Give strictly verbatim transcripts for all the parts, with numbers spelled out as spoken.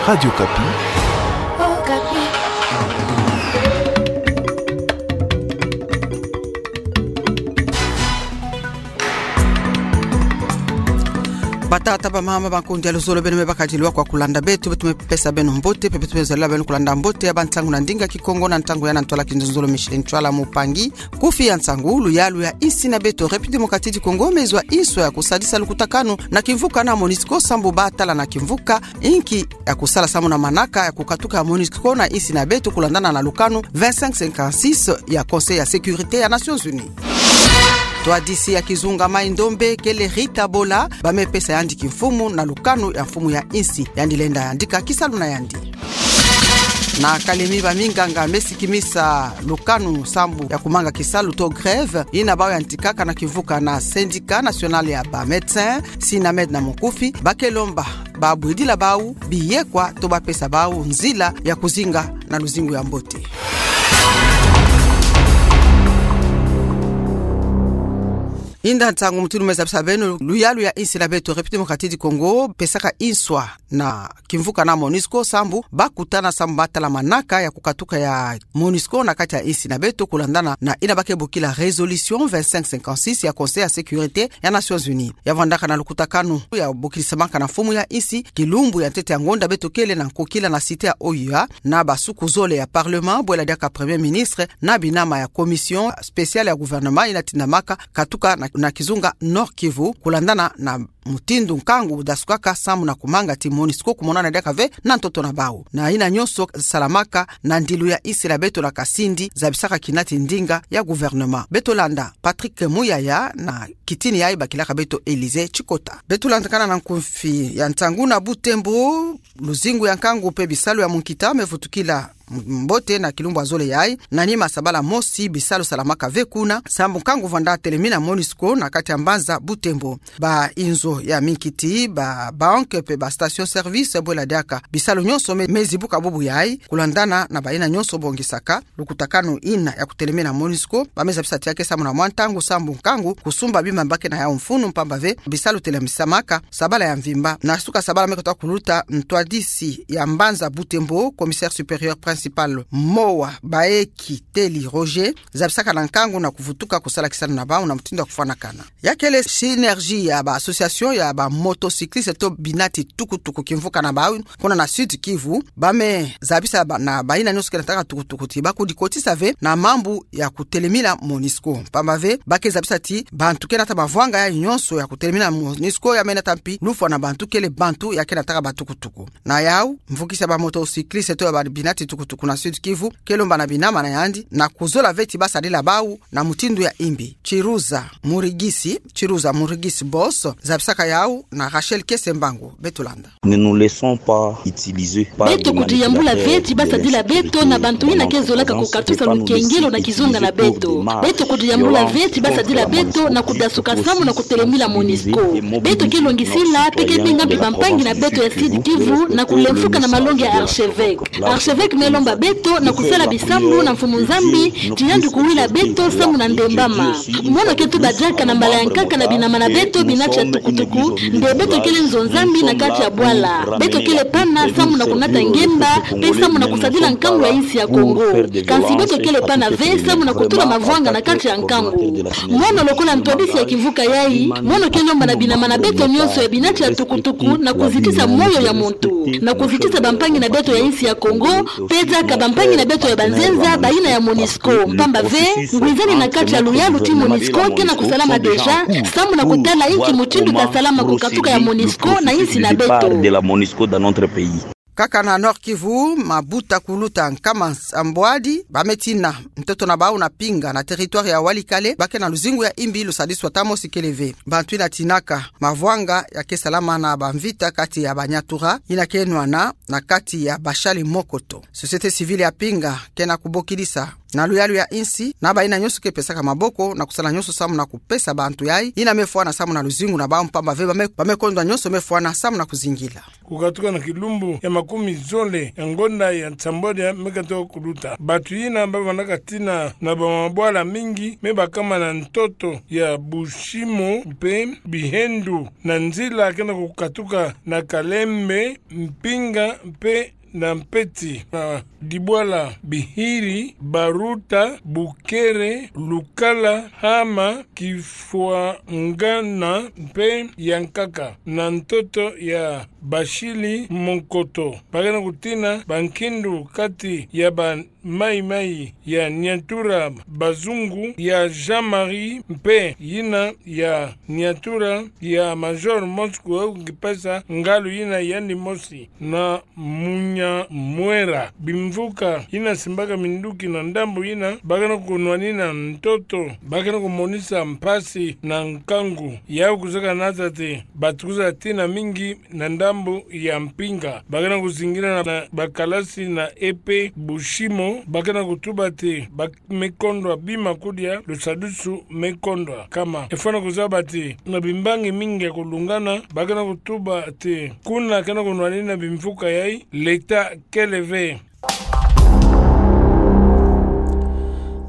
Radio Okapi. Batata, bamama, bankundi ya luzolo, beno me bakadiwa kwa kulanda beto, beto me pesa beno mbote, pe beto me zolila beno kulanda mbote ya bantangu na ndinga Kikongo na ntangu ya na ntwala kinzonzolo Michel Ntwala Mupangi. Kufi ya nsangu: luyalu ya insi na beto République Démocratique du Congo me zwa inswa ya kusadisa lukutakanu na kimvuka na MONUSCO sambu batala na kimvuka inki ya kusala samu na manaka ya kukatuka ya MONUSCO na insi na beto kulandana na lukanu vingt-cinq cinquante-six ya Conseil ya Sécurité ya Nations Unies. Ntwadisi ya kizunga Mai-Ndombe kele Rita Bola, ba me pesa yandi kimfumu na lukanu ya mfumu ya insi. Yandi lenda yandika kisalu na yandi. Na Kalemi, baminganga me sikimisa lukanu sambu ya kumanga kisalu to grève ina bau yantikaka na kimvuka na Syndicat National ya ba Médecins, SYNAMED na mukufi, ba ke lomba babwidila bau biyekwa to ba pesa bau nzila ya kuzinga na luzingu ya mbote. Inda nsangu mutindu me zabisa beno: luyalu ya insi na beto République Démocratique du Congo pesaka inswa na kimvuka na MONUSCO sambu bakutana sambu batala manaka ya kukatuka ya MONUSCO na kati ya insi na beto kulandana na ina ba ke bokila résolution vingt-cinq cinquante-six ya Conseil ya Sécurité ya Nations Unies. Ya vwandaka na lukutakanu ya bokilisamaka na mfumu ya insi, kilumbu ya ntete ya ngonda beto kele na nkokila na cité ya OUA na basuku zole ya Parlement, bwela diaka Premier Ministre na binama ya Commission Spéciale ya Gouvernement ina tindamaka katuka na, na kizunga Nord-Kivu, kulandana na mutindu nkangu dasukaka samu na kumanga ti MONUSCO kumonana diaka ve na ntoto na bau. Na ina nyonso salamaka na ndilu ya insi na beto na kasindi zabisaka kina ti ndinga ya gouvernement. Beto landa Patrick Muyaya na kitini yayi bakilaka beto Élysée Tshikota. Beto landakana na nkufi ya nsangu na Butembo, luzingu ya nkangu pe bisalu ya munkita me vutukila mbote na kilumbu ya zole yayi. Na nima sabala mosi bisalu salamaka ve kuna sambu nkangu vwanda telemina MONUSCO na kati ya mbanza Butembo. Ba inzo ya minkiti, ba banque pe ba station service, bwela diaka bisalu nyonso me, me zibuka bubu yayi kulandana na ba ina nyonso bongisaka lukutakanu ina ya kutelemina MONUSCO. Ba me zabisa ti ya ke samu na mwa ntangu sambu nkangu kusumba bima ba ke na yau mfunu, mpamba ve bisalu telemisamaka sabala ya mvimba. Na suka sabala me kota kuluta, ntwadisi ya mbanza Butembo, commissaire supérieur principal Mowa Baeki Teli Roger, zabisaka na nkangu na kuvutuka kusala kisalu na bau na mutindu ya kufwanakana. Ya kele synergie ya ba association ya ba motocyclistes to binati tukutuku kimvuka na bau kuna na Sud-Kivu, ba me zabisa ba, na ba ina nyonso ke nataka tukutuku ti ba kudikotisa ve na mambu ya kutelemina MONUSCO. Mpamba ve ba ke zabisa ti bantu ke nata mavwanga yayi nyonso ya kutelemina MONUSCO ya me nata mpi lufwa na bantu kele bantu ya ke nataka batukutuku. Na yau, mvukisi ya ba motocyclistes to ya ba binati tukutuku na Sud-Kivu ke lomba na binama na yandi na kuzola ve ti ba sadila bau na mutindu ya imbi. Chiruza Murigisi, Chiruza Murigisi Boss, zabisaka yau na Rachel Kesembangu. Beto landa. Ne nous laissons pas utiliser par des manipulateurs de l'insécurité, de l'insouciance, c'est pas nous ici qui utilisons des armes, c'est pas nous ici qui utilisons des armes, c'est pas nous ici qui utilisons des armes. Ne nous laissons pas utiliser par des manipulateurs de l'insécurité, de l'insouciance, c'est pas nous ici qui utilisons des armes, c'est pas nous ici qui utilisons des armes. Beto kudiyambula ve ti ba sadila beto na bantu ina ke zolaka kukatusa lukengelo na kizunga na beto. Beto kudiyambula ve ti ba sadila beto na kudasuka samu na kutelemina MONUSCO. Beto ke longisila pe ke benga mbi bampangi na beto ya Sud-Kivu na kulemfuka na malongi ya archevêque. Archevêque me lomba beto na kusala bisambu na Mfumu Nzambi ti yandi kuwila beto samu na ndembama. Mono ke tuba diaka na mbala ya nkaka na binama na beto binati ya tukutuku nde beto kele nzo Nzambi na kati ya bwala. Beto kele pana samu na kunata ngemba pe samu na kusadila nkangu ya insi ya Kongo. Kansi beto kele pana ve samu na kutula mavwanga na kati ya nkangu. Mono lokola ntwadisi ya kimvuka yayi, mono ke lomba na binama na beto nyonso ya binati ya tukutuku na kuzitisa moyo ya muntu, na kuzitisa bampangi na beto ya insi ya Kongo, pe diaka bampangi na beto ya banzenza, bayina ya MONUSCO. Mpamba ve, ngwizani na kati ya luyalu ti MONUSCO ke na kusalama déjà, samu na kutala inki mutindu tasalama kukatuka ya MONUSCO na insi na beto. Nkaka na Nord-Kivu, mabuta kuluta nkama nsambwadi, ba me tina ntoto na bau na Pinga, na territoire ya Walikale, ba ke na luzingu ya imbi lusadiswa ta mosi kele ve. Bantu ina tinaka mavwanga ya ke salama na bamvita kati ya ba Nyatura, ina ke nwana na kati ya bashali mokoto. Société civile ya Pinga ke na kubokidisa na luyalu ya insi, na bayina nyonso ke pesaka maboko na kusala nyonso samu na kupesa bantu yai yina me fwana samu na luzingu na bawu, mpamba ve ba me, ba me kondwa nyonso me fwana samu na kuzingila. Kukatuka na kilumbu ya makumi zole ya ngonda ya nsambwadia me katuka kuluta, bantu yina ba vandaka tina na bamabwala mingi me bakama na ntoto ya Bushimo mpe Bihendu, na nzila ke na kukatuka na Kalembe, Mpinga mpe na Mpeti, na Dibwala, Bihiri, Baruta, Bukere, Lukala, Hama, Kifwangana mpe Yankaka, na ntoto ya Bashili Monkoto. Ba ke na kutina bankindu kati ya ba Maï-Maï ya Niantura, Bazungu ya Jean-Marie mpe yina ya Niantura ya Major Mosco, kipesa ngalu yina yandi mosi na Munyamwera. Bimvuka yina simbaka minduki na ndambu yina ba ke na kunwanina ntoto, ba ke na kumonisa mpasi na nkangu. Yawu kuzeka na tâ ti ba tukuza tina mingi na ndambu ya Mpinga. Ba ke na kuzingila na, na bakalasi na Epe, Bushimo, ba ke na kutuba ti ba me kondwa bima kudia, lusadusu me kondwa kama. E fwana kuzaba ti na bimbangi mingi ya kulungana, ba ke na kutuba ti kuna ke na kunwanina bimvuka yai, leta kele ve.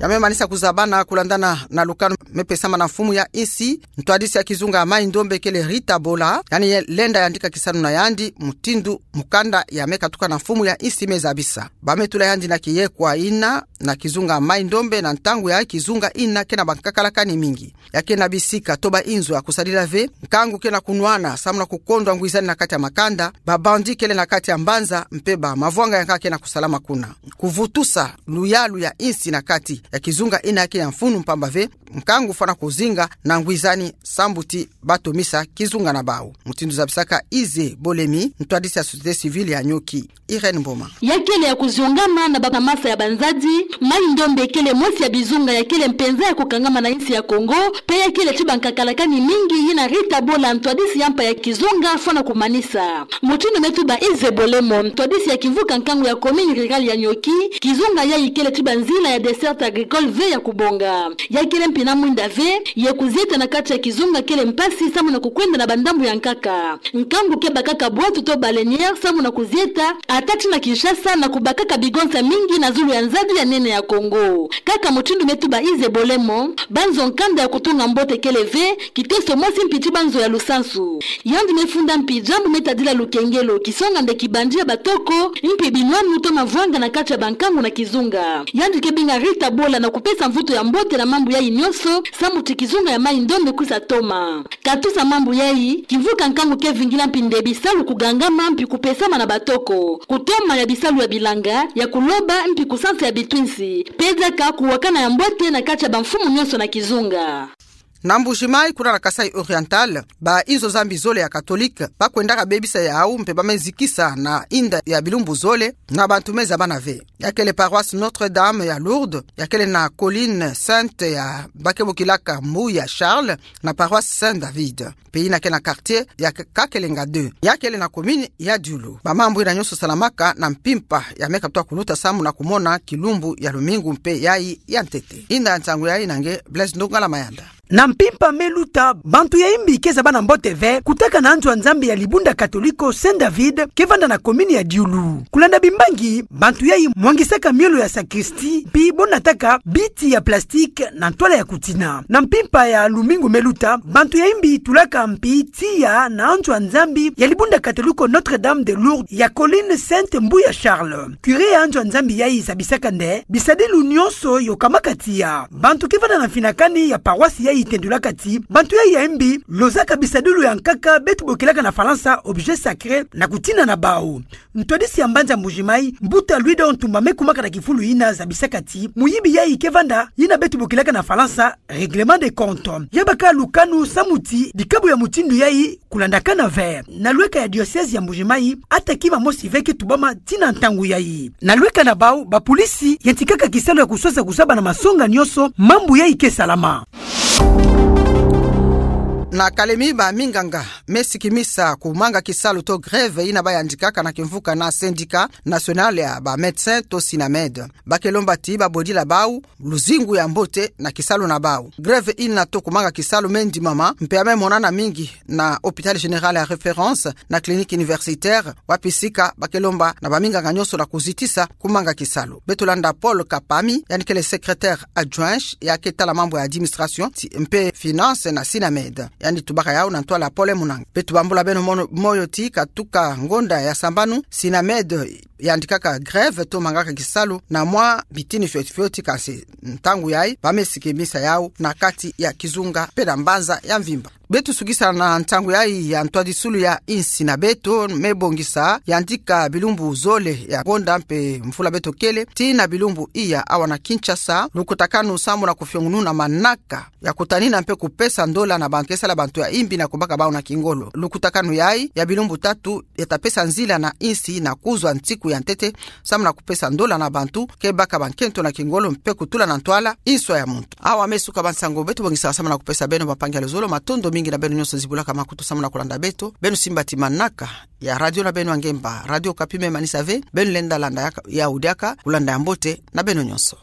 Ya me manisa kuzabana kulandana na lukanu me pesama na mfumu ya insi, ntwadisi ya kizunga ya Maï-Ndombe kele Rita Bola, yandi ye lenda yandika kisalu na yandi mutindu mukanda ya me katuka na mfumu ya insi me zabisa. Ba me tula yandi na kiyekwa yina na kizunga Maï-Ndombe na ntangu ya kizunga yina ke na bankakalakani mingi. Ya ke na bisika to ba inzo ya kusadila ve, nkangu ke na kunwana samu na kukondwa ngwizani na kati ya makanda, ba bandit kele na kati ya mbanza, mpe ba mavwanga ya nkaka ke na kusalama kuna. Kuvutusa luyalu ya insi na kati ya kizunga yina ke ya mfunu, mpamba ve nkangu fwana kuzinga na ngwizani sambu ti ba tomisa kizunga na bawu. Mutindu zabisaka Ize Bolemi, ntwadisi ya société civile ya Nioki. Irène Mboma. Ya kele ya kuziongama na ba, na masa ya banzadi, Maï-Ndombe kele mosi ya bizunga ya kele mpenza ya kukangama na insi ya Kongo, mpe ya kele ti bankakalakani mingi yina Rita Bola, ntwadisi ya mpa ya kizunga, fwana kumanisa. Mutindu me tuba Ize Bolemi, ntwadisi ya kimvuka nkangu ya commune rurale ya Nioki, kizunga yai kele ti banzila ya desserte agricole ve ya kubonga. Ya kele mpi na mwinda ve, ye kuzieta na kati ya kizunga kele mpasi samu na kukwenda na bandambu ya nkaka. Nkangu ke bakaka bwatu to baleinière samu na kuzieta, ata ti na Kinshasa, na kubakaka bigonsa mingi na zulu ya nzadi ya nene ya Kongo. Kaka mutindu me tuba Ize Bolemi, banzo nkanda ya kutunga mbote kele ve, kiteso mosi mpi ti banzo ya lusansu. Yandi me funda mpi diambu me tadila lukengelo, kisonga nde kibandi ya batoko, mpi binwanu to mavwanga na kati ya bankangu na kizunga. Yandi ke binga Rita Bola na kupesa mvutu ya mbote na mambu yai nyonso, samu ti kizunga ya Maï-Ndombe kwisa toma. Katusa mambu yai, kimvuka nkangu ke vingila mpi nde bisalu kugangama mpi kupesama na batoko, kutoma ya bisalu ya bilanga, ya kuloba, mpi kusansa ya bitwinsi, mpe diaka kuwakana ya mbote na kati ya bamfumu nyonso na kizunga. Na Mbuji-Mayi, kuna na Kasaï Oriental, ba inzo Nzambi zole ya catholique ba kwendaka bebisa yawu mpe ba me zikisa na inda ya bilumbu zole, na bantu me zabana ve. Ya kele paroisse Notre-Dame ya Lourdes, ya kele na Colline Sainte ya ba ke bokilaka Mbuya Charles, na paroisse Saint David. Mpe yina ke na quartier ya K-, Kakelenga deux. Ya kele na commune ya Diulu. Ba mambu yina nyonso salamaka na mpimpa ya me katuka kuluta samu na kumona kilumbu ya lumingu mpe yai ya ntete. Inda ya nsangu yai na nge Blaise Ndongala Mayanda. Na mpimpa me luta, bantu ya imbi ke zabana mbote ve, kutaka na anzo ya Nzambi ya libunda katoliko Saint David, ke vanda na commune ya Diulu. Kulanda bimbangi, bantu yai mwangisaka miolo ya sacristie, mpi bo nataka biti ya plastique na ntwala ya kutina. Na mpimpa ya lumingu me luta, bantu ya imbi tulaka mpi tiya na anzo ya Nzambi ya libunda katoliko Notre-Dame de Lourdes ya Colline Sainte Mbuya Charles. Curé ya anzo ya Nzambi yai zabisaka nde bisadilu nyonso yokamaka tiya. Bantu ke vanda na mfinakani ya paroisse yai tendulaka ti bantu yai ya imbi lozaka bisadilu ya nkaka beto bokilaka na Falansa objet sacré na kutina na bawu. Ntwadisi ya mbanza Mbuji-Mayi, Mbuta Louis Dor Ntumba, me kumaka na kifulu yina zabisaka ti muyibi yai ke vanda yina beto bokilaka na Falansa règlement de compte. Ya baka lukanu samu ti bikabu ya mutindu yai kulandakana ve. Na lweka ya diocèse ya Mbuji-Mayi, ata kima mosi ve ke tubama tii na ntangu yai. Na lweka na bawu, ba pulisi yantikaka kisalu ya kusosa kuzaba na masonga nyonso mambu yai ke salama. Na kalemi, baminganga me sikimisa kumanga kisalu to grève ina bayandikaka na kimvuka na Syndicat National ya ba Médecins to Synamed. Bakele lomba ti babwedila bawu luzingu ya mbote na kisalu na bawu. Grève ina to kumanga kisalu me ndimama mpe ya me monana mingi na Hôpital Général ya Référence na Clinique Universitaire, wapi sika bakele lomba na baminganga nyonso na kuzitisa kumanga kisalu. Beto landa Paul Kapami, yandi kele secrétaire adjoint ya ke tala mambu ya administration ti mpe finance na Synamed. Yandi tubaka yawu na ntwala Paul Munanga. Beto bambula beno mono-, moyo ti katuka ngonda ya sambanu, Synamed yandikaka grève to mangaka kisalu na mwa bitini fioti fioti, kansi ntangu yayi ba me sikimisa yawu na kati ya kizunga mpe na mbanza ya mvimba. Beto sukisa na ntangu yayi ya ntwadisulu ya insi na beto me bongisa yandika bilumbu zole ya ngonda mpe mvula beto kele, tii na bilumbu iya awa na Kinshasa, lukutakanu samu na kufiongununa manaka ya kutanina mpe kupesa ndola na bantu ke sala bantu ya imbi na kubaka bawu na kingolo. Lukutakanu yayi ya bilumbu tatu ya ta pesa nzila na insi na kuzwa nsiku ya ntete samu na kupesa ndola na bantu ke baka bankento na kingolo mpe kutula na ntwala inswa ya muntu. Awa me suka bansango beto bongisaka samu na kupesa beno, bampangi ya luzolo. Matondo mingi na beno nyonso zibulaka makutu samu na kulanda beto. Beno simba ti manaka ya radio na beno ya ngemba, Radio Okapi me manisa ve. Beno lenda landa yaka, yawu diaka, kulanda ya mbote na beno nyonso.